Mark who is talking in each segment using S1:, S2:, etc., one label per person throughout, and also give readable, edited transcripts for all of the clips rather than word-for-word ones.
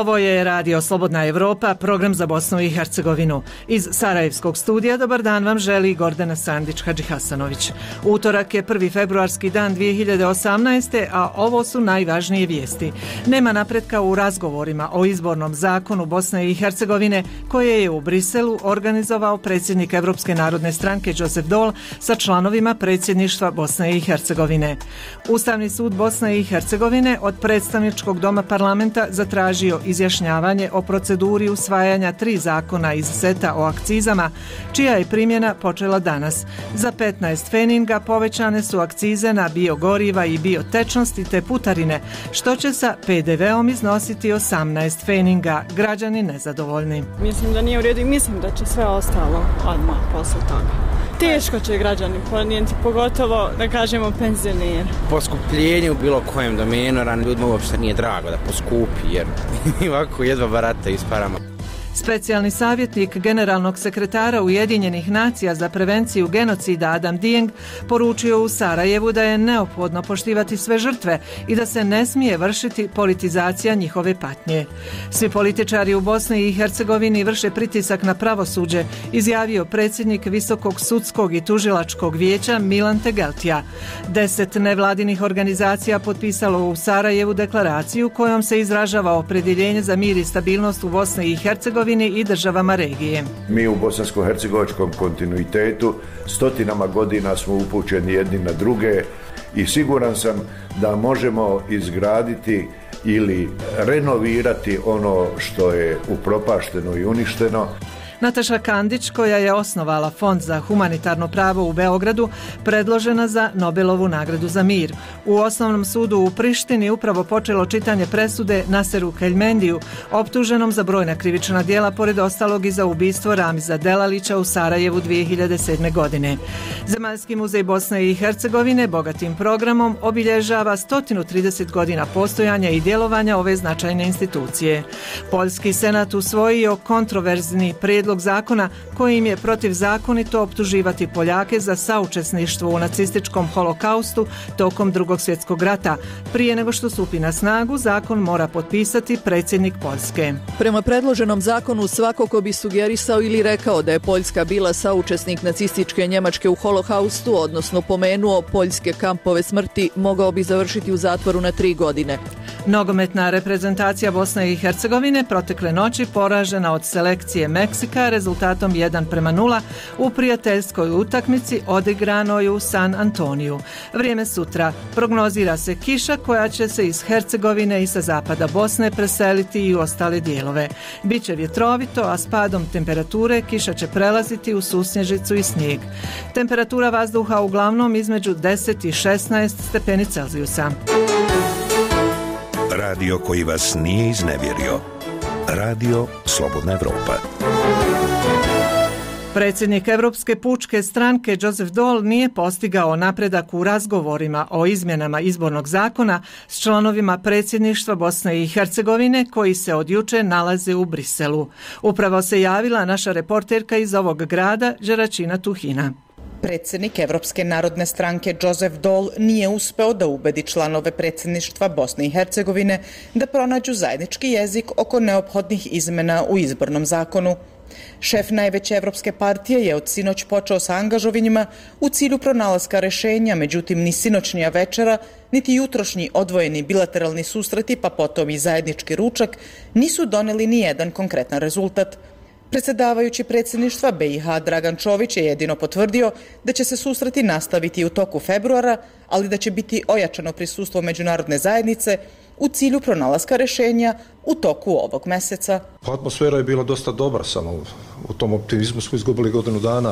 S1: Ovo je Radio Slobodna Evropa, program za Bosnu i Hercegovinu. Iz Sarajevskog studija dobar dan vam želi Gordana Sandić-Hadžihasanović. Utorak je 1. februarski dan 2018. a ovo su najvažnije vijesti. Nema napretka u razgovorima o izbornom zakonu Bosne i Hercegovine koje je u Briselu organizovao predsjednik Evropske narodne stranke Josef Dol sa članovima predsjedništva Bosne i Hercegovine. Ustavni sud Bosne i Hercegovine od predstavničkog doma parlamenta zatražio izjašnjavanje o proceduri usvajanja 3 zakona iz seta o akcizama, čija je primjena počela danas. Za 15 feninga povećane su akcize na biogoriva i biotečnosti te putarine, što će sa PDV-om iznositi 18 feninga. Građani nezadovoljni.
S2: Mislim da nije u redu i mislim da će sve ostalo odmah posle toga. Teško će građani podnijeti, pogotovo da kažemo penzioneri.
S3: Poskupljenje u bilo kojem domenu, ljudima uopšte nije drago da poskupi, jer ovako jedva barataju s parama.
S1: Specijalni savjetnik generalnog sekretara Ujedinjenih nacija za prevenciju genocida Adam Dieng poručio u Sarajevu da je neophodno poštivati sve žrtve i da se ne smije vršiti politizacija njihove patnje. Svi političari u Bosni i Hercegovini vrše pritisak na pravosuđe, izjavio predsjednik Visokog sudskog i tužilačkog vijeća Milan Tegeltija. 10 nevladinih organizacija potpisalo u Sarajevu deklaraciju kojom se izražava opredjeljenje za mir i stabilnost u Bosni i Hercegovini i državama regije.
S4: Mi u bosansko-hercegovačkom kontinuitetu stotinama godina smo upućeni jedni na druge i siguran sam da možemo izgraditi ili renovirati ono što je upropašteno i uništeno.
S1: Nataša Kandić, koja je osnovala Fond za humanitarno pravo u Beogradu, predložena za Nobelovu nagradu za mir. U Osnovnom sudu u Prištini upravo počelo čitanje presude Naseru Keljmendiju, optuženom za brojna krivična djela, pored ostalog i za ubistvo Ramiza Delalića u Sarajevu 2007. godine. Zemaljski muzej Bosne i Hercegovine bogatim programom obilježava 130 godina postojanja i djelovanja ove značajne institucije. Poljski senat usvojio kontroverzni prijedlog zakona kojim je protivzakonito optuživati Poljake za saučesništvo u nacističkom holokaustu tokom Drugog svjetskog rata. Prije nego što stupi na snagu, zakon mora potpisati predsjednik Poljske.
S5: Prema predloženom zakonu, svako ko bi sugerisao ili rekao da je Poljska bila saučesnik nacističke Njemačke u holokaustu, odnosno pomenuo poljske kampove smrti, mogao bi završiti u zatvoru na 3 godine.
S1: Nogometna reprezentacija Bosne i Hercegovine protekle noći poražena od selekcije Meksika rezultatom 1:0 u prijateljskoj utakmici odigranoj u San Antoniju. Vrijeme sutra. Prognozira se kiša koja će se iz Hercegovine i sa zapada Bosne preseliti i u ostale dijelove. Biće vjetrovito, a s padom temperature kiša će prelaziti u susnježicu i snijeg. Temperatura vazduha uglavnom između 10 i 16 stepeni Celzijusa.
S6: Radio koji vas nije iznevjerio. Radio Slobodna Evropa.
S1: Predsjednik Evropske pučke stranke Josef Dol nije postigao napredak u razgovorima o izmjenama izbornog zakona s članovima predsjedništva Bosne i Hercegovine koji se od juče nalaze u Briselu. Upravo se javila naša reporterka iz ovog grada, Đeračina Tuhina.
S7: Predsjednik Evropske narodne stranke Josef Dol nije uspeo da ubedi članove predsjedništva Bosne i Hercegovine da pronađu zajednički jezik oko neophodnih izmena u izbornom zakonu. Šef najveće evropske partije je od sinoć počeo sa angažovanjima u cilju pronalaska rešenja, međutim ni sinoćnija večera, niti jutrošnji odvojeni bilateralni susreti, pa potom i zajednički ručak, nisu doneli ni jedan konkretan rezultat. Predsjedavajući predsjedništva BiH Dragan Čović je jedino potvrdio da će se susreti nastaviti u toku februara, ali da će biti ojačano prisustvo međunarodne zajednice u cilju pronalaska rešenja u toku ovog meseca.
S8: Atmosfera je bila dosta dobra, samo u tom optimizmu smo izgubili godinu dana,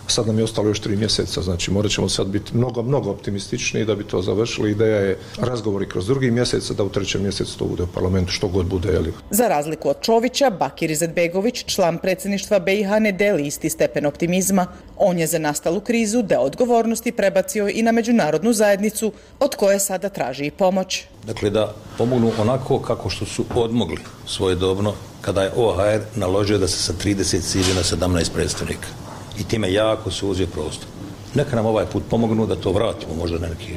S8: a sad nam je ostalo još 3 mjeseca, znači morat ćemo sad biti mnogo optimističniji da bi to završili. Ideja je razgovori kroz 2. mjesec, da u 3. mjesecu to bude u parlamentu, što god bude. Jeli.
S7: Za razliku od Čovića, Bakir Izetbegović, član predsjedništva BiH, ne deli isti stepen optimizma. On je za nastalu krizu deo odgovornosti prebacio i na međunarodnu zajednicu, od koje sada traži i pomoć.
S9: Dakle, da pomognu onako kako što su odmogli svojedobno kada je OHR naložio da se sa 30 siđe na 17 predstavnika. I time jako se uzeo prostor. Neka nam ovaj put pomognu da to vratimo možda na neki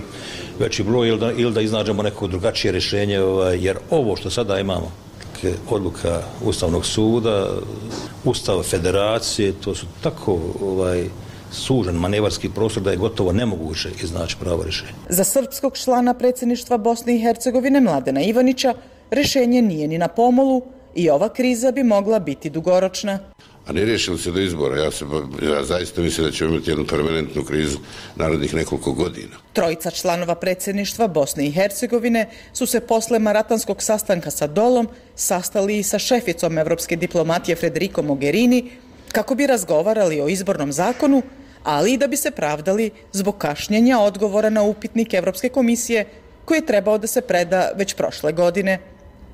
S9: veći broj ili da iznađemo neko drugačije rješenje, jer ovo što sada imamo odluka Ustavnog suda, Ustava federacije, to su tako sužen manevarski prostor da je gotovo nemoguće iznaći pravo rješenje.
S7: Za srpskog člana predsjedništva Bosne i Hercegovine Mladena Ivanića rješenje nije ni na pomolu i ova kriza bi mogla biti dugoročna.
S10: A ne riješili se do izbora. Ja zaista mislim da ćemo imati jednu permanentnu krizu narednih nekoliko godina.
S7: Trojica članova predsjedništva Bosne i Hercegovine su se posle maratonskog sastanka sa Dolom sastali i sa šeficom evropske diplomatije Federico Mogherini kako bi razgovarali o izbornom zakonu, ali i da bi se pravdali zbog kašnjenja odgovora na upitnik Evropske komisije koji je trebao da se preda već prošle godine.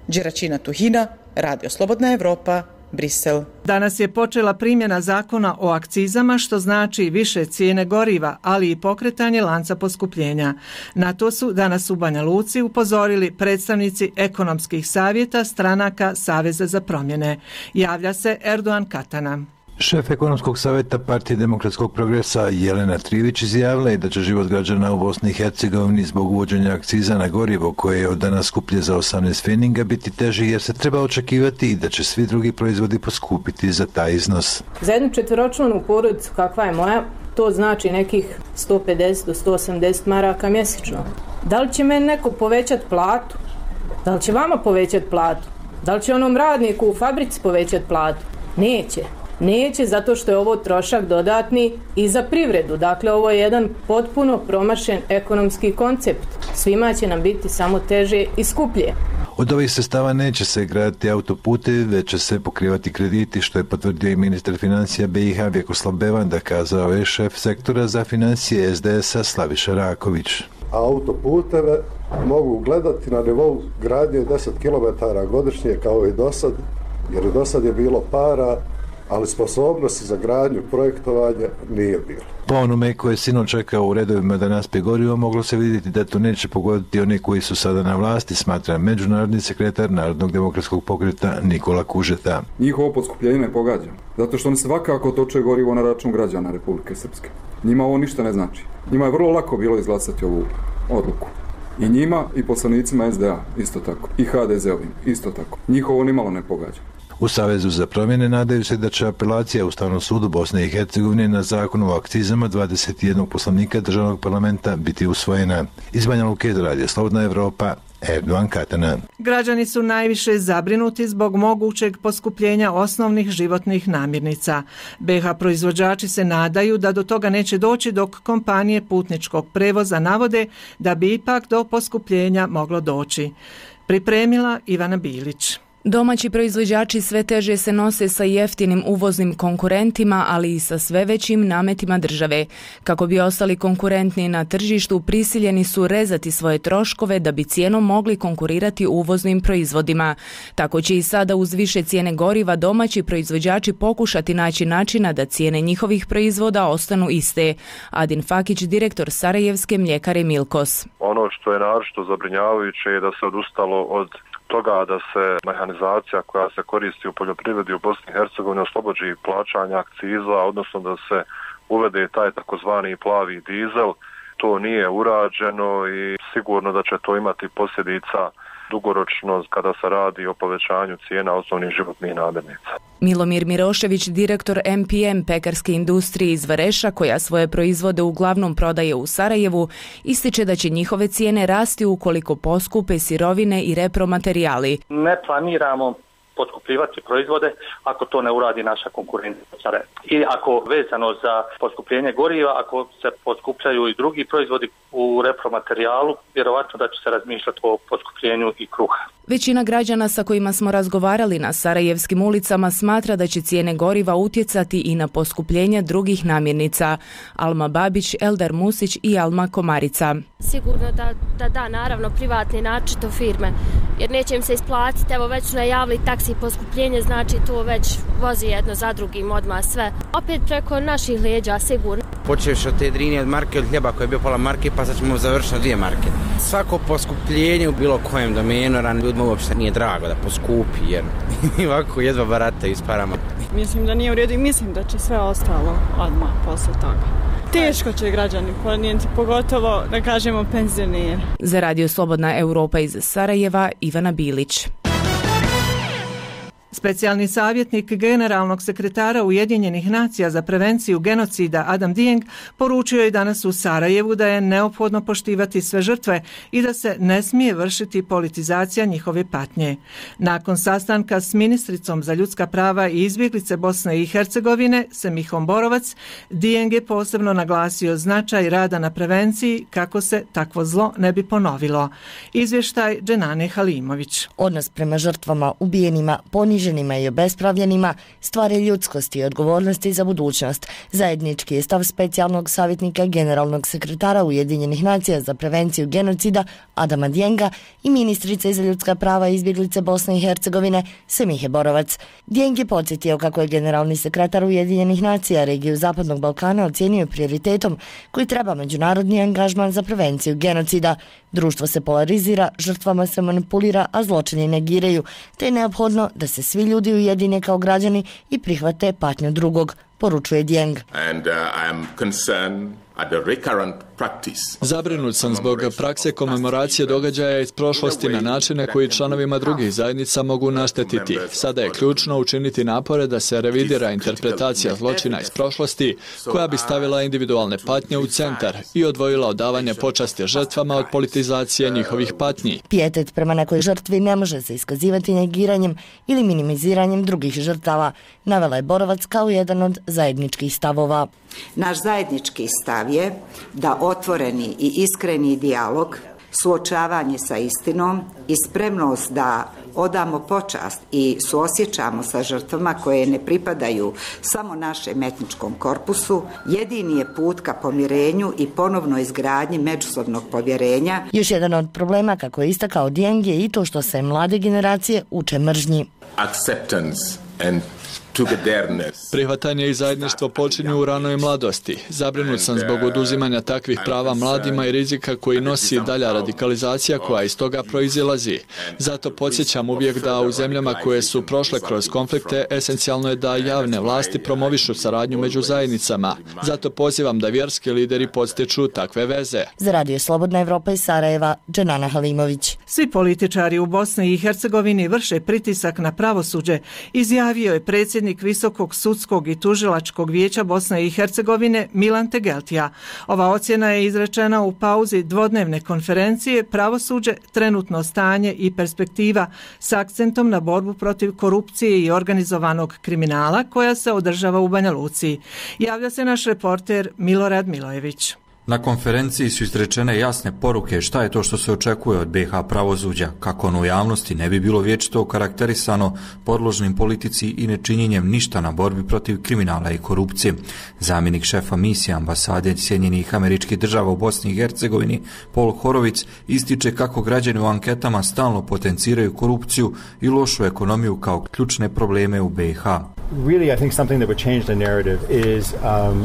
S7: Đeračina Tuhina, Radio Slobodna Evropa, Brisel.
S1: Danas je počela primjena zakona o akcizama, što znači više cijene goriva, ali i pokretanje lanca poskupljenja. Na to su danas u Banja Luci upozorili predstavnici ekonomskih savjeta stranaka Saveza za promjene. Javlja se Erdogan Katana.
S11: Šef ekonomskog savjeta Partije demokratskog progresa Jelena Trivić izjavila je da će život građana u Bosni i Hercegovini zbog uvođenja akciza na gorivo koje je od danas skuplje za 18 pfeninga biti teži jer se treba očekivati i da će svi drugi proizvodi poskupiti za taj iznos.
S12: Za jednu četveročlanu porodicu kakva je moja, to znači nekih 150 do 180 maraka mjesečno. Da li će meni neko povećati platu? Da li će vama povećati platu? Da li će onom radniku u fabrici povećati platu? Neće. Neće, zato što je ovo trošak dodatni i za privredu. Dakle, ovo je jedan potpuno promašen ekonomski koncept. Svima će nam biti samo teže i skuplje.
S11: Od ovih sredstava neće se graditi autoputevi, već će se pokrivati krediti, što je potvrdio i ministar financija BiH Vjekoslav Bevanda, kazao je šef sektora za financije SDS-a Slaviša Raković.
S13: Autoputeve mogu gledati na nivou gradnje 10 km godišnje kao i dosad, jer i dosad je bilo para, ali sposobnosti za gradnju projektovanja nije bilo.
S11: Po onome koje je sinoć čekao u redovima da naspije gorivo, moglo se vidjeti da to neće pogoditi one koji su sada na vlasti, smatra međunarodni sekretar Narodnog demokratskog pokreta Nikola Kužeta.
S14: Njihovo poskupljenje ne pogađa, zato što oni svakako toče gorivo na račun građana Republike Srpske. Njima ovo ništa ne znači. Njima je vrlo lako bilo izglasati ovu odluku. I njima i poslanicima SDA isto tako. I HDZ-ovim isto tako. Njihovo nimalo ne pogađa.
S11: U Savezu za promjene nadaju se da će apelacija Ustavnom sudu Bosne i Hercegovine na zakon o akcizama 21 poslanika državnog parlamenta biti usvojena. Iz Banja Luke, Radio Slobodna Evropa, Erdogan Katana.
S1: Građani su najviše zabrinuti zbog mogućeg poskupljenja osnovnih životnih namirnica. BiH proizvođači se nadaju da do toga neće doći dok kompanije putničkog prevoza navode da bi ipak do poskupljenja moglo doći. Pripremila Ivana Bilić.
S15: Domaći proizvođači sve teže se nose sa jeftinim uvoznim konkurentima, ali i sa sve većim nametima države. Kako bi ostali konkurentni na tržištu, prisiljeni su rezati svoje troškove da bi cijenom mogli konkurirati uvoznim proizvodima. Tako će i sada uz više cijene goriva domaći proizvođači pokušati naći načina da cijene njihovih proizvoda ostanu iste. Adin Fakić, direktor Sarajevske mljekare Milkos.
S16: Ono što je naročito zabrinjavajuće je da se odustalo od toga da se mehanizacija koja se koristi u poljoprivredi u Bosni i Hercegovini oslobođi plaćanja akciza, odnosno da se uvede taj takozvani plavi dizel. To nije urađeno i sigurno da će to imati posljedica dugoročno kada se radi o povećanju cijena osnovnih životnih namirnica.
S15: Milomir Mirošević, direktor MPM pekarske industrije iz Vareša, koja svoje proizvode uglavnom prodaje u Sarajevu, ističe da će njihove cijene rasti ukoliko poskupe sirovine i repromaterijali.
S17: Ne planiramo poskupljivati proizvode ako to ne uradi naša konkurencija. I ako vezano za poskupljenje goriva, ako se poskupljaju i drugi proizvodi u repromaterijalu, vjerovatno da će se razmišljati o poskupljenju i kruha.
S15: Većina građana sa kojima smo razgovarali na sarajevskim ulicama smatra da će cijene goriva utjecati i na poskupljenje drugih namirnica. Alma Babić, Eldar Musić i Alma Komarica.
S18: Sigurno da, naravno, privatni načito firme, jer neće im se isplatiti, evo već su najavili taksi poskupljenje, znači to već vozi jedno za drugim odmah sve. Opet preko naših leđa, sigurno.
S3: Počeš od te drine od marke, od hljeba koji je bio pola marke, pa sad ćemo završiti na 2 marke. Svako poskupljenje u bilo kojem domenu, ljudima uopšte nije drago da poskupi, jer ovako jedva barataju s parama.
S2: Mislim da nije u redu i mislim da će sve ostalo odmah posle toga. Teško će građani podnijeti, pogotovo da kažemo penzioneri.
S15: Za Radio Slobodna Europa iz Sarajeva, Ivana Bilić.
S1: Specijalni savjetnik generalnog sekretara Ujedinjenih nacija za prevenciju genocida Adam Dieng poručio je danas u Sarajevu da je neophodno poštivati sve žrtve i da se ne smije vršiti politizacija njihove patnje. Nakon sastanka s ministricom za ljudska prava i izbjeglice Bosne i Hercegovine, Semihom Borovac, Dieng je posebno naglasio značaj rada na prevenciji kako se takvo zlo ne bi ponovilo. Izvještaj Dženane Halimović.
S19: Odnos prema žrtvama, ubijenima, poniženima i obespravljenima stvari ljudskosti i odgovornosti za budućnost. Zajednički je stav specijalnog savjetnika generalnog sekretara Ujedinjenih nacija za prevenciju genocida Adama Dienga i ministrice za ljudska prava i izbjeglice Bosne i Hercegovine Semihe Borovac. Dieng je podsjetio kako je generalni sekretar Ujedinjenih nacija regiju Zapadnog Balkana ocijenio prioritetom koji treba međunarodni angažman za prevenciju genocida. Društvo se polarizira, žrtvama se manipulira, a zločini negiraju, te je neophodno da se svi ljudi ujedine kao građani i prihvate patnju drugog, poručuje Dieng.
S20: Zabrinut sam zbog prakse komemoracije događaja iz prošlosti na načine koji članovima drugih zajednica mogu naštetiti. Sada je ključno učiniti napore da se revidira interpretacija zločina iz prošlosti koja bi stavila individualne patnje u centar i odvojila odavanje počasti žrtvama od politizacije njihovih patnji.
S19: Pijetet prema nekoj žrtvi ne može se iskazivati negiranjem ili minimiziranjem drugih žrtava, navela je Borovac kao jedan od zajedničkih stavova.
S21: Naš zajednički stav je da otvoreni i iskreni dijalog, suočavanje sa istinom i spremnost da odamo počast i suosjećamo sa žrtvama koje ne pripadaju samo našem etničkom korpusu, jedini je put ka pomirenju i ponovnoj izgradnji međusobnog povjerenja.
S19: Još jedan od problema, kako je istakao Dieng, je i to što se mlade generacije uče mržnji.
S20: Prihvatanje i zajedništvo počinju u ranoj mladosti. Zabrinut sam zbog oduzimanja takvih prava mladima i rizika koji nosi dalja radikalizacija koja iz toga proizilazi. Zato podsjećam uvijek da u zemljama koje su prošle kroz konflikte esencijalno je da javne vlasti promovišu saradnju među zajednicama. Zato pozivam da vjerski lideri podstiču takve veze.
S19: Za Radio Slobodna Evropa iz Sarajeva, Dženana Halimović.
S1: Svi političari u Bosni i Hercegovini vrše pritisak na pravosuđe, izjavio je predsjednik Visokog sudskog i tužilačkog vijeća Bosne i Hercegovine Milan Tegeltija. Ova ocjena je izrečena u pauzi dvodnevne konferencije Pravosuđe, trenutno stanje i perspektiva s akcentom na borbu protiv korupcije i organizovanog kriminala koja se održava u Banja Luci. Javlja se naš reporter Milorad Milojević.
S22: Na konferenciji su izrečene jasne poruke šta je to što se očekuje od BiH pravosuđa, kako ono u javnosti ne bi bilo vječito karakterisano podložnim politici i nečinjenjem ništa na borbi protiv kriminala i korupcije. Zamjenik šefa misije ambasade Sjedinjenih Američkih Država u Bosni i Hercegovini, Paul Horovic, ističe kako građani u anketama stalno potenciraju korupciju i lošu ekonomiju kao ključne probleme u BiH.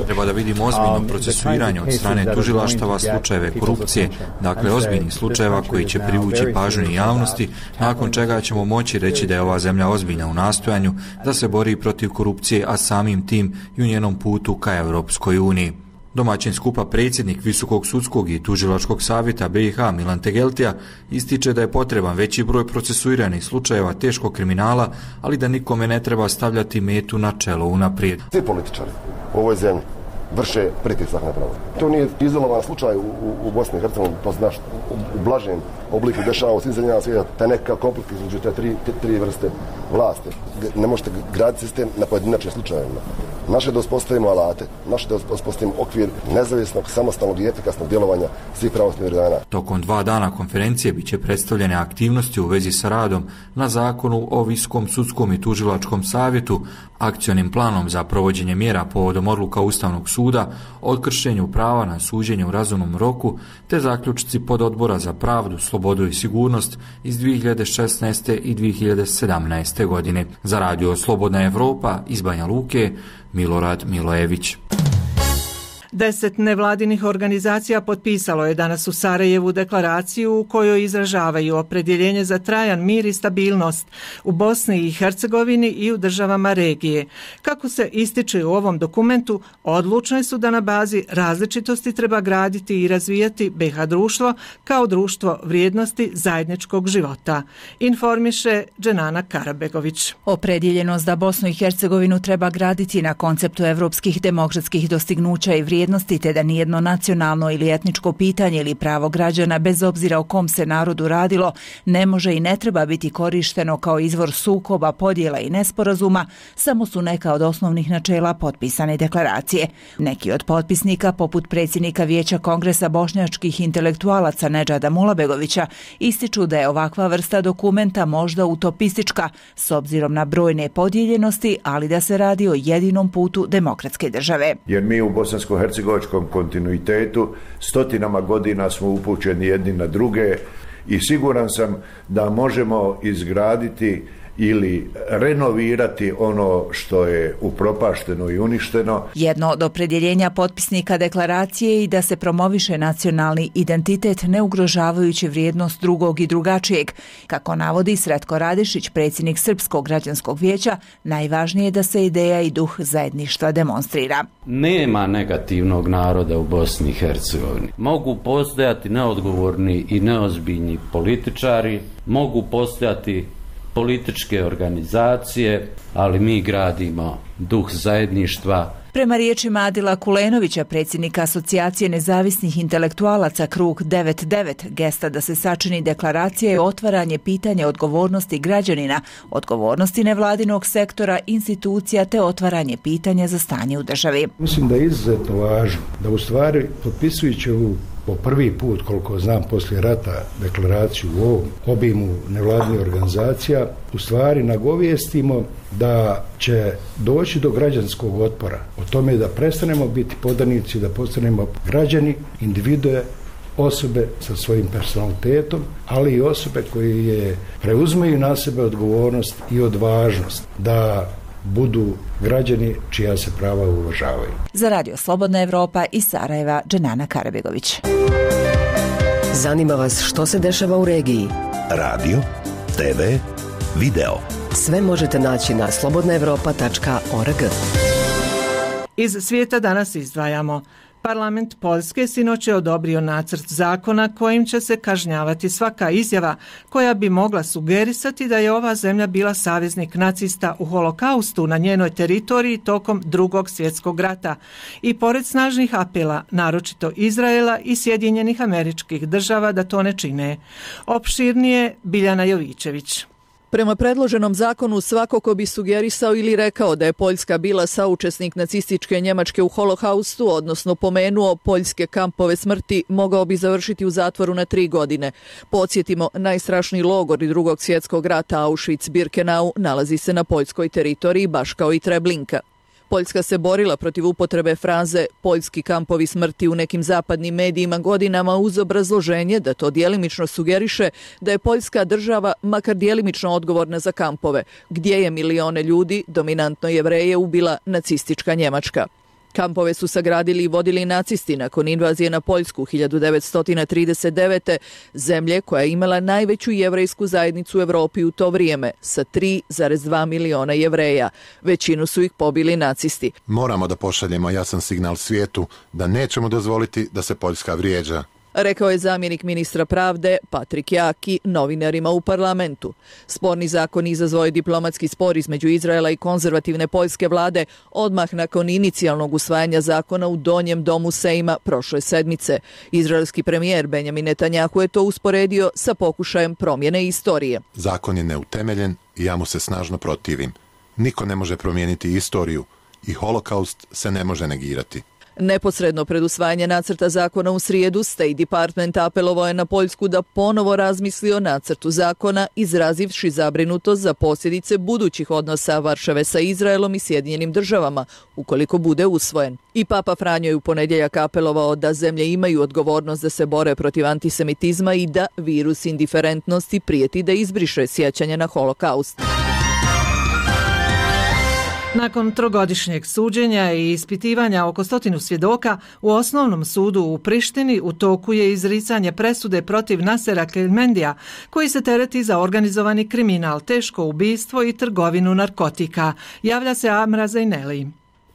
S22: Treba da vidimo ozbiljno procesuiranje od strane tužilaštava slučajeve korupcije, dakle ozbiljnih slučajeva koji će privući pažnju javnosti, nakon čega ćemo moći reći da je ova zemlja ozbiljna u nastojanju da se bori protiv korupcije, a samim tim i u njenom putu ka Europskoj uniji. Domaćin skupa predsjednik Visokog sudskog i tužilačkog savjeta BiH Milan Tegeltija ističe da je potreban veći broj procesuiranih slučajeva teškog kriminala, ali da nikome ne treba stavljati metu na čelo unaprijed.
S23: Svi političari u ovoj zemlji vrše pritisak na pravo. To nije izolovan slučaj u Bosni i Hercegovini, to znaš, u blažem obliku dešava u svim zemljama svijeta, taj nekakav konflikt između te tri vrste vlasti. Ne možete graditi sistem na pojedinačnim slučajevima. Naše da uspostavimo alate, naše da uspostavimo okvir nezavisnog, samostalnog i efikasnog djelovanja svih pravosudnih organa.
S22: Tokom 2 dana konferencije biće predstavljene aktivnosti u vezi sa radom na zakonu o Visokom sudskom i tužilačkom savjetu, akcionim planom za provođenje mjera povodom odluka Ustavnog suda, o kršenju prava na suđenje u razumnom roku, te zaključci pododbora za pravdu, slobodu i sigurnost iz 2016. i 2017. godine. Za Radio Slobodna Evropa iz Banja Luke, Milorad Milojević.
S1: 10 nevladinih organizacija potpisalo je danas u Sarajevu deklaraciju u kojoj izražavaju opredjeljenje za trajan mir i stabilnost u Bosni i Hercegovini i u državama regije. Kako se ističe u ovom dokumentu, odlučne su da na bazi različitosti treba graditi i razvijati BiH društvo kao društvo vrijednosti zajedničkog života, informiše Dženana Karabegović.
S4: Opredjeljenost da Bosnu i Hercegovinu treba graditi na konceptu evropskih demokratskih dostignuća i vrijednosti, te da nijedno nacionalno ili etničko pitanje ili pravo građana, bez obzira o kom se narodu radilo, ne može i ne treba biti korišteno kao izvor sukoba, podjela i nesporazuma, samo su neka od osnovnih načela potpisane deklaracije. Neki od potpisnika, poput predsjednika Vijeća Kongresa bošnjačkih intelektualaca Nedžada Mulabegovića, ističu da je ovakva vrsta dokumenta možda utopistička s obzirom na brojne podijeljenosti, ali da se radi o jedinom putu demokratske države.
S5: Jer mi u bosansko-hercegovačkom kontinuitetu stotinama godina smo upućeni jedni na druge i siguran sam da možemo izgraditi ili renovirati ono što je upropašteno i uništeno.
S4: Jedno od opredjeljenja potpisnika deklaracije je i da se promoviše nacionalni identitet ne ugrožavajući vrijednost drugog i drugačijeg. Kako navodi Sretko Radišić, predsjednik Srpskog građanskog vijeća, najvažnije je da se ideja i duh zajedništva demonstrira.
S6: Nema negativnog naroda u Bosni i Hercegovini. Mogu postojati neodgovorni i neozbiljni političari, mogu postojati političke organizacije, ali mi gradimo duh zajedništva.
S4: Prema riječima Adila Kulenovića, predsjednika Asocijacije nezavisnih intelektualaca Krug 99, gesta da se sačini deklaracija je otvaranje pitanja odgovornosti građanina, odgovornosti nevladinog sektora, institucija te otvaranje pitanja za stanje u državi.
S24: Mislim da je izuzetno važno da u stvari potpisujući ovu po prvi put, koliko znam, poslije rata deklaraciju u ovom obimu nevladinih organizacija, u stvari nagovijestimo da će doći do građanskog otpora. O tome da prestanemo biti podanici, da postanemo građani, individue, osobe sa svojim personalitetom, ali i osobe koje preuzmeju na sebe odgovornost i odvažnost da budu građani čija se prava uvažavaju.
S4: Za Radio Slobodna Evropa iz Sarajeva, Dženana Karabegović.
S25: Zanima vas što se dešava u regiji?
S26: Radio, TV, video.
S25: Sve možete naći na slobodnaevropa.org.
S1: Iz svijeta danas izdvajamo. Parlament Poljske sinoć je odobrio nacrt zakona kojim će se kažnjavati svaka izjava koja bi mogla sugerisati da je ova zemlja bila saveznik nacista u holokaustu na njenoj teritoriji tokom Drugog svjetskog rata. I pored snažnih apela, naročito Izraela i Sjedinjenih Američkih Država da to ne čine. Opširnije Biljana Jovićević.
S27: Prema predloženom zakonu svako ko bi sugerisao ili rekao da je Poljska bila saučesnik nacističke Njemačke u holokaustu, odnosno pomenuo poljske kampove smrti, mogao bi završiti u zatvoru na 3 godine. Podsjetimo, najstrašniji logor i Drugog svjetskog rata Auschwitz-Birkenau nalazi se na poljskoj teritoriji, baš kao i Treblinka. Poljska se borila protiv upotrebe fraze poljski kampovi smrti u nekim zapadnim medijima godinama uz obrazloženje da to djelimično sugeriše da je Poljska država makar djelimično odgovorna za kampove, gdje je milione ljudi, dominantno Jevreje, ubila nacistička Njemačka. Kampove su sagradili i vodili nacisti nakon invazije na Poljsku 1939. zemlje koja je imala najveću jevrejsku zajednicu u Evropi u to vrijeme sa 3,2 miliona Jevreja. Većinu su ih pobili nacisti.
S28: Moramo da pošaljemo jasan signal svijetu da nećemo dozvoliti da se Poljska vrijeđa,
S27: rekao je zamjenik ministra pravde Patrik Jaki novinarima u parlamentu. Sporni zakon izazvao je diplomatski spor između Izraela i konzervativne poljske vlade odmah nakon inicijalnog usvajanja zakona u Donjem domu Sejma prošle sedmice. Izraelski premijer Benjamin Netanjahu je to usporedio sa pokušajem promjene istorije.
S28: Zakon je neutemeljen i ja mu se snažno protivim. Niko ne može promijeniti istoriju i holokaust se ne može negirati.
S27: Neposredno pred usvajanje nacrta zakona u srijedu, State Department apelovao je na Poljsku da ponovo razmisli o nacrtu zakona, izrazivši zabrinutost za posljedice budućih odnosa Varšave sa Izraelom i Sjedinjenim Državama, ukoliko bude usvojen. I Papa Franjo je u ponedjeljak apelovao da zemlje imaju odgovornost da se bore protiv antisemitizma i da virus indiferentnosti prijeti da izbriše sjećanje na holokaust.
S1: Nakon trogodišnjeg suđenja i ispitivanja oko 100 svjedoka, u osnovnom sudu u Prištini u toku je izricanje presude protiv Nasera Kelmendija, koji se tereti za organizovani kriminal, teško ubistvo i trgovinu narkotika. Javlja se Amra Zajneli.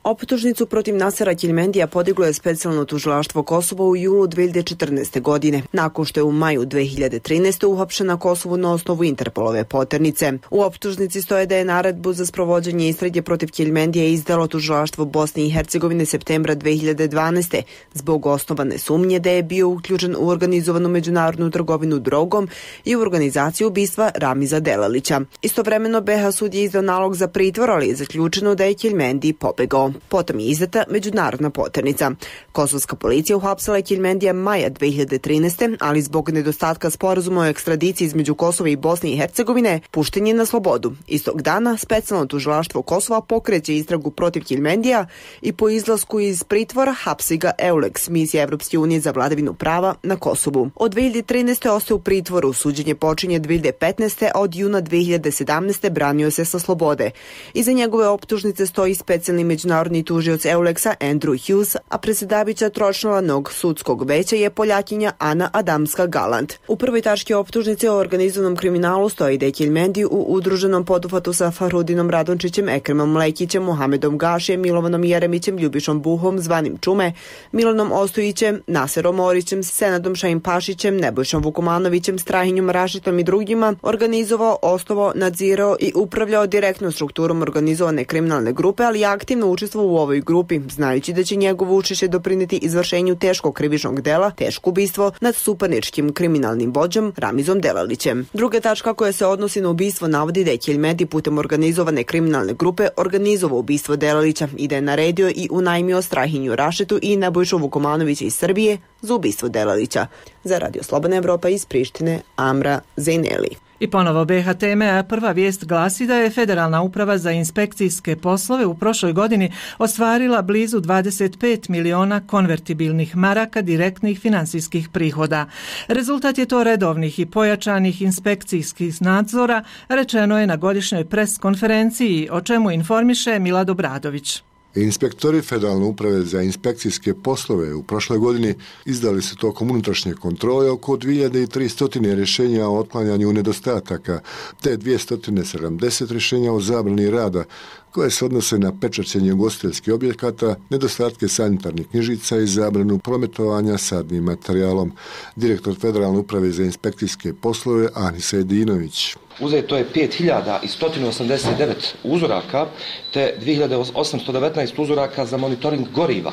S7: Optužnicu protiv Nasera Kelmendija podiglo je specijalno tužilaštvo Kosova u julu 2014. godine, nakon što je u maju 2013. uhapšen na Kosovu na osnovu Interpolove poternice. U optužnici stoje da je naredbu za sprovođenje istrage protiv Kelmendija izdalo tužilaštvo Bosne i Hercegovine septembra 2012. zbog osnovane sumnje da je bio uključen u organizovanu međunarodnu trgovinu drogom i u organizaciju ubistva Ramiza Delalića. Istovremeno BiH sud je izdao nalog za pritvor, ali je zaključeno da je Kelmendij pobegao. Potom je izdata međunarodna poternica. Kosovska policija uhapsila je Kelmendija maja 2013. ali zbog nedostatka sporazuma o ekstradiciji između Kosova i Bosne i Hercegovine pušten je na slobodu. Istog dana specijalno tužilaštvo Kosova pokreće istragu protiv Kelmendija i po izlasku iz pritvora hapsi ga EULEX, misija Evropske unije za vladavinu prava na Kosovu. Od 2013. ostaje u pritvoru, suđenje počinje 2015. a od juna 2017. branio se sa slobode. Iza njegove optužnice stoji specijalni međunarodni tužioc EULEX-a Andrew Hughes, a predsjedavajuća tročlanog sudskog veća je Poljakinja Ana Adamska-Galant. U prvoj tački optužnice o organizovanom kriminalu stoji da je Kelmendij u udruženom poduhvatu sa Farhudinom Radončićem, Ekremom Lekićem, Muhamedom Gašijem, Milovanom Jeremićem, Ljubišom Buhom, zvanim Čume, Milanom Ostojićem, Naserom Orićem, Senadom Šahin-Pašićem, Nebojšom Vukomanovićem, Strahinjom Rašitom i drugima organizovao, osnovao, nadzirao i upravljao direktnom strukturom organizovane kriminalne grupe, ali aktivno učestvovao u ovoj grupi, znajući da će njegovo učešće doprinijeti izvršenju teškog krivičnog dela, teško ubistvo nad suparničkim kriminalnim vođom Ramizom Delalićem. Druga tačka koja se odnosi na ubistvo navodi da je Kelmendij putem organizovane kriminalne grupe organizovao ubistvo Delalića i da je naredio i unajmio Strahinju Rašitu i Nebojšu Vukomanovića iz Srbije za ubistvo Delalića. Za Radio Slobodna Evropa iz Prištine, Amra Zajneli.
S1: I ponovo BiH teme, a prva vijest glasi da je Federalna uprava za inspekcijske poslove u prošloj godini ostvarila blizu 25 miliona konvertibilnih maraka direktnih finansijskih prihoda. Rezultat je to redovnih i pojačanih inspekcijskih nadzora, rečeno je na godišnjoj pres konferenciji, o čemu informiše Milad Obradović.
S8: Inspektori Federalne uprave za inspekcijske poslove u prošloj godini izdali su tokom unutrašnje kontrole oko 2300 rješenja o otklanjanju nedostataka, te 270 rješenja o zabrani rada, koje se odnose na pečaćenje ugostiteljskih objekata, nedostatke sanitarnih knjižica i zabranu prometovanja sadnim materijalom. Direktor Federalne uprave za inspekcijske poslove Anisa Edinović.
S9: Uzeto je 5189 uzoraka te 2819 uzoraka za monitoring goriva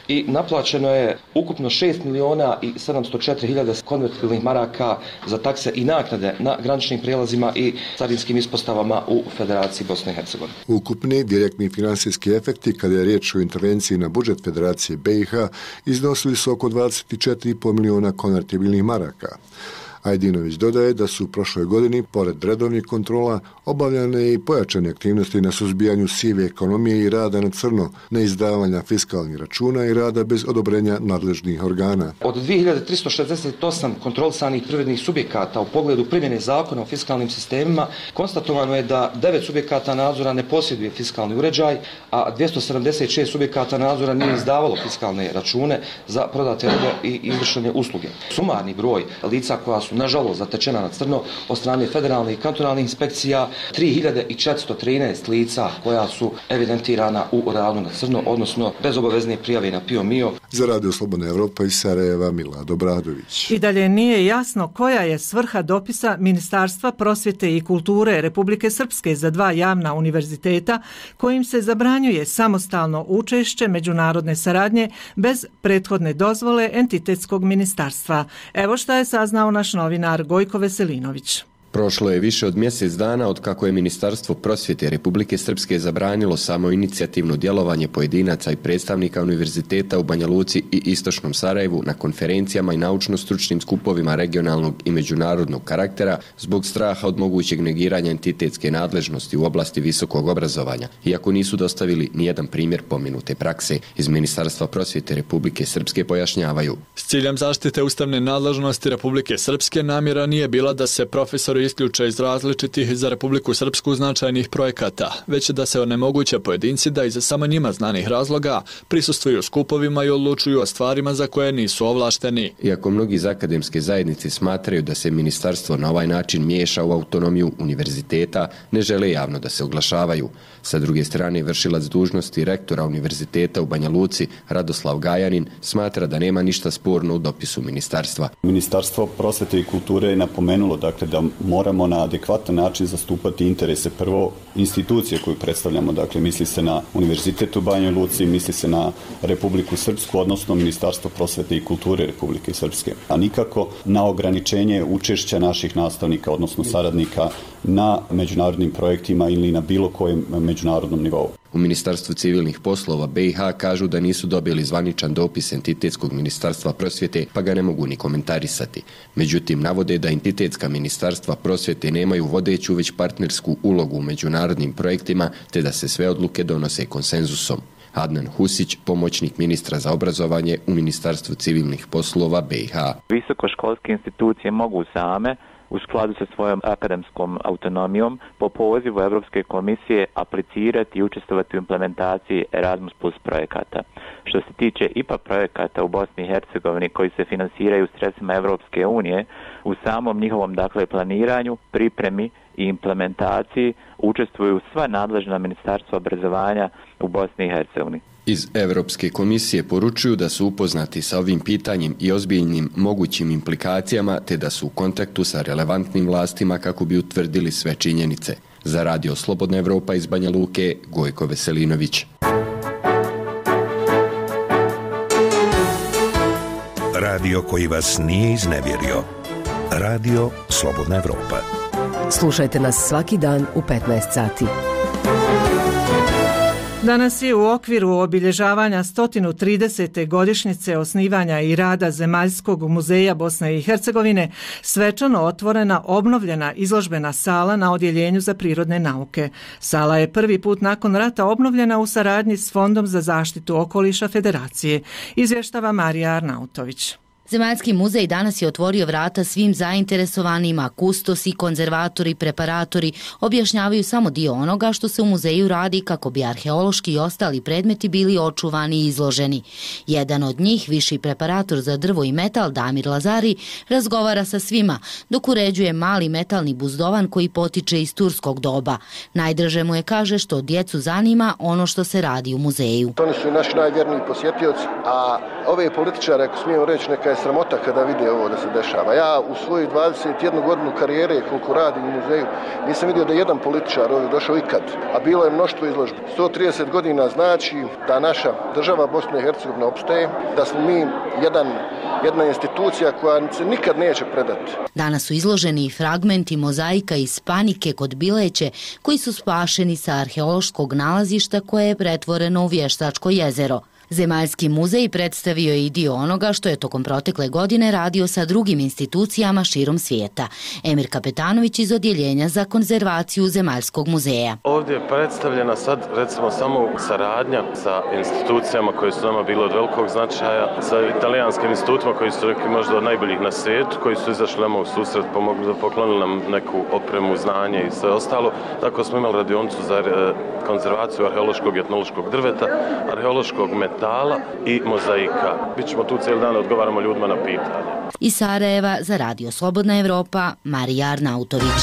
S9: i naplaćeno je ukupno 6.704.000 konvertibilnih maraka za takse i naknade na graničnim prijelazima i carinskim ispostavama u Federaciji Bosne i Hercegovine.
S8: Ukupni direktni finansijski efekti, kada je riječ o intervenciji na budžet Federacije BiH, iznosili su oko 24,5 miliona konvertibilnih maraka. Ajdinović dodaje da su u prošloj godini, pored redovnih kontrola, obavljane i pojačane aktivnosti na suzbijanju sive ekonomije i rada na crno, neizdavanja fiskalnih računa i rada bez odobrenja nadležnih organa.
S9: Od 2368 kontrolisanih privrednih subjekata u pogledu primjene zakona o fiskalnim sistemima, konstatovano je da 9 subjekata nadzora ne posjeduje fiskalni uređaj, a 276 subjekata nadzora nije izdavalo fiskalne račune za prodate robe i izvršene usluge. Sumarni broj lica koja su nažalost zatečena na crno od strane federalnih i kantonalnih inspekcija 3413 lica koja su evidentirana u radu na crno, odnosno bez obavezne prijave na PIO MIO.
S8: Za Radio Slobodna Evropa iz Sarajeva, Milad Obradović.
S1: I dalje nije jasno koja je svrha dopisa Ministarstva prosvjete i kulture Republike Srpske za 2 javna univerziteta kojim se zabranjuje samostalno učešće međunarodne saradnje bez prethodne dozvole entitetskog ministarstva. Evo šta je saznao naš novinar Gojko Veselinović.
S10: Prošlo je više od mjesec dana od kako je Ministarstvo prosvjete Republike Srpske zabranilo samoinicijativno djelovanje pojedinaca i predstavnika univerziteta u Banja Luci i Istočnom Sarajevu na konferencijama i naučno-stručnim skupovima regionalnog i međunarodnog karaktera zbog straha od mogućeg negiranja entitetske nadležnosti u oblasti visokog obrazovanja, iako nisu dostavili nijedan primjer pomenute prakse. Iz Ministarstva prosvjete Republike Srpske pojašnjavaju.
S20: S ciljem zaštite ustavne nadležnosti Republike Srpske namjera nije bila da se profesori isključe iz različitih za Republiku Srpsku značajnih projekata, već da se onemoguće pojedinci da iz samo njima znanih razloga prisustvuju skupovima i odlučuju o stvarima za koje nisu ovlašteni.
S10: Iako mnogi iz akademske zajednice smatraju da se ministarstvo na ovaj način miješa u autonomiju univerziteta, ne žele javno da se oglašavaju. Sa druge strane, vršilac dužnosti rektora univerziteta u Banja Luci, Radoslav Gajanin, smatra da nema ništa sporno u dopisu ministarstva.
S3: Ministarstvo prosvete i kulture je napomenulo dakle, da moramo na adekvatan način zastupati interese prvo institucije koju predstavljamo, dakle misli se na Univerzitet u Banjoj Luci, misli se na Republiku Srpsku, odnosno Ministarstvo prosvete i kulture Republike Srpske, a nikako na ograničenje učešća naših nastavnika, odnosno saradnika na međunarodnim projektima ili na bilo kojem međunarodnom nivou.
S10: U Ministarstvu civilnih poslova BiH kažu da nisu dobili zvaničan dopis Entitetskog ministarstva prosvjete, pa ga ne mogu ni komentarisati. Međutim, navode da entitetska ministarstva prosvjete nemaju vodeću već partnersku ulogu u međunarodnim projektima, te da se sve odluke donose konsenzusom. Adnan Husić, pomoćnik ministra za obrazovanje u Ministarstvu civilnih poslova BiH.
S11: Visokoškolske institucije mogu same u skladu sa svojom akademskom autonomijom po pozivu Europske komisije aplicirati i učestvovati u implementaciji Erasmus Plus projekata. Što se tiče IPA projekata u Bosni i Hercegovini koji se finansiraju sredstvima Europske unije, u samom njihovom planiranju, pripremi i implementaciji učestvuju sva nadležna ministarstva obrazovanja u Bosni i Hercegovini.
S10: Iz Europske komisije poručuju da su upoznati sa ovim pitanjem i ozbiljnim mogućim implikacijama, te da su u kontaktu sa relevantnim vlastima kako bi utvrdili sve činjenice. Za Radio Slobodna Evropa iz Banja Luke, Gojko Veselinović.
S26: Radio koji vas nije iznevjerio. Radio Slobodna Evropa.
S25: Slušajte nas svaki dan u 15 sati.
S1: Danas je u okviru obilježavanja 130. godišnjice osnivanja i rada Zemaljskog muzeja Bosne i Hercegovine svečano otvorena obnovljena izložbena sala na Odjeljenju za prirodne nauke. Sala je prvi put nakon rata obnovljena u saradnji s Fondom za zaštitu okoliša Federacije, izvještava Marija Arnautović.
S12: Zemaljski muzej danas je otvorio vrata svim zainteresovanima, kustosi, konzervatori, preparatori objašnjavaju samo dio onoga što se u muzeju radi kako bi arheološki i ostali predmeti bili očuvani i izloženi. Jedan od njih, viši preparator za drvo i metal Damir Lazari, razgovara sa svima, dok uređuje mali metalni buzdovan koji potiče iz turskog doba. Najdraže mu je, kaže, što djecu zanima ono što se radi u muzeju.
S23: Oni su naši najvjerniji posjetioci, a ove političare, ako smijem reći, neka je sramota kada vide ovo da se dešava. Ja u svoju 21 godinu karijere, koliko radim u muzeju, nisam vidio da jedan političar ovdje došao ikad, a bilo je mnoštvo izložbi. 130 godina znači da naša država Bosna i Hercegovina opstaje, da smo mi jedna institucija koja se nikad neće predati.
S12: Danas su izloženi i fragmenti mozaika iz Panike kod Bileće, koji su spašeni sa arheološkog nalazišta koje je pretvoreno u Vještačko jezero. Zemaljski muzej predstavio je i dio onoga što je tokom protekle godine radio sa drugim institucijama širom svijeta. Emir Kapetanović iz Odjeljenja za konzervaciju Zemaljskog muzeja.
S13: Ovdje je predstavljena sad recimo samo saradnja sa institucijama koje su nama bile od velikog značaja, sa italijanskim institutima koji su rekli možda od najboljih na svijetu, koji su izašli nama u susret, poklonili nam neku opremu, znanje i sve ostalo. Tako smo imali radionicu za konzervaciju arheološkog i etnološkog drveta, arheološkog metala i mozaika. Bićemo tu cijeli dan, odgovaramo ljudima na pitanje.
S12: Iz Sarajeva za Radio Slobodna Evropa, Marija Arnautović.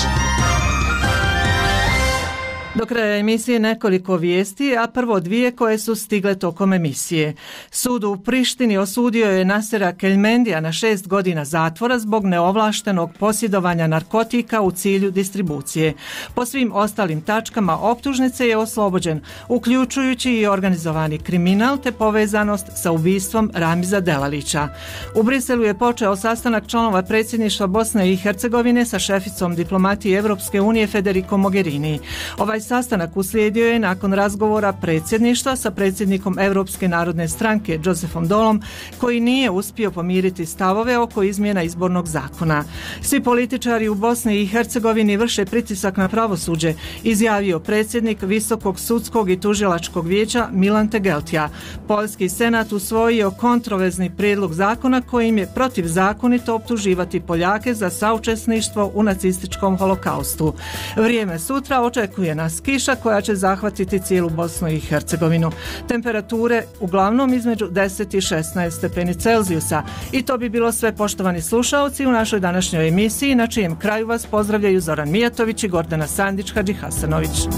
S1: Do kraja emisije nekoliko vijesti, a prvo dvije koje su stigle tokom emisije. Sud u Prištini osudio je Nasera Keljmendija na 6 godina zatvora zbog neovlaštenog posjedovanja narkotika u cilju distribucije. Po svim ostalim tačkama optužnice je oslobođen, uključujući i organizovani kriminal te povezanost sa ubistvom Ramiza Delalića. U Briselu je počeo sastanak članova predsjedništva Bosne i Hercegovine sa šeficom diplomatije Evropske unije Federico Mogherini. Ovaj sastanak uslijedio je nakon razgovora predsjedništva sa predsjednikom Europske narodne stranke Josefom Dolom, koji nije uspio pomiriti stavove oko izmjena izbornog zakona. Svi političari u Bosni i Hercegovini vrše pritisak na pravosuđe, izjavio predsjednik Visokog sudskog i tužilačkog vijeća Milan Tegeltija. Poljski senat usvojio kontroverzni prijedlog zakona kojim je protivzakonito optuživati Poljake za saučesništvo u nacističkom holokaustu. Vrijeme sutra očekuje nas kiša koja će zahvatiti cijelu Bosnu i Hercegovinu. Temperature uglavnom između 10 i 16 stepeni Celzijusa. I to bi bilo sve, poštovani slušaoci, u našoj današnjoj emisiji, na čijem kraju vas pozdravljaju Zoran Mijatović i Gordana Sandić Hadžihasanović.